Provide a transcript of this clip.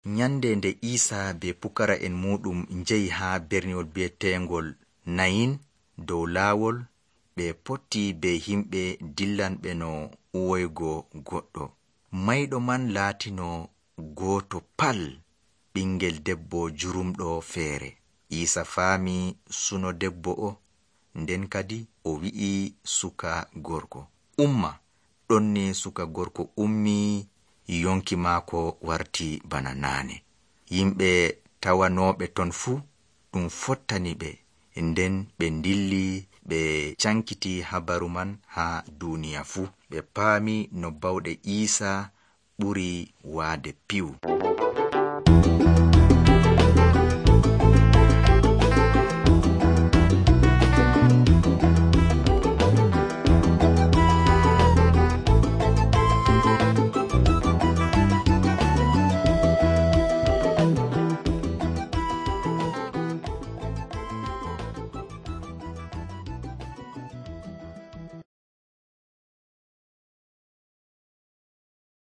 Nyande nde Isa be pukara'en muɗum njehi haa berniwol bi'etengol Nayin dow laawol, ɓe potti be himɓe dillanɓe no uwoygo goɗɗo. Mayɗo man laatino gooto pal, ɓingel debbo jurumɗo feere. Isa faami suno debbo o, nden kadi o wi'i suka gorko, umma. Ɗonni suka gorko ummi, yonki maako warti bana naane. Yimɓe tawanooɓe ton fuu ɗum fottani ɓe, nden ɓe dilli ɓe cankiti habaru man haa duuniya fuu. Ɓe paami no bawɗe Isa ɓuri waade piwu.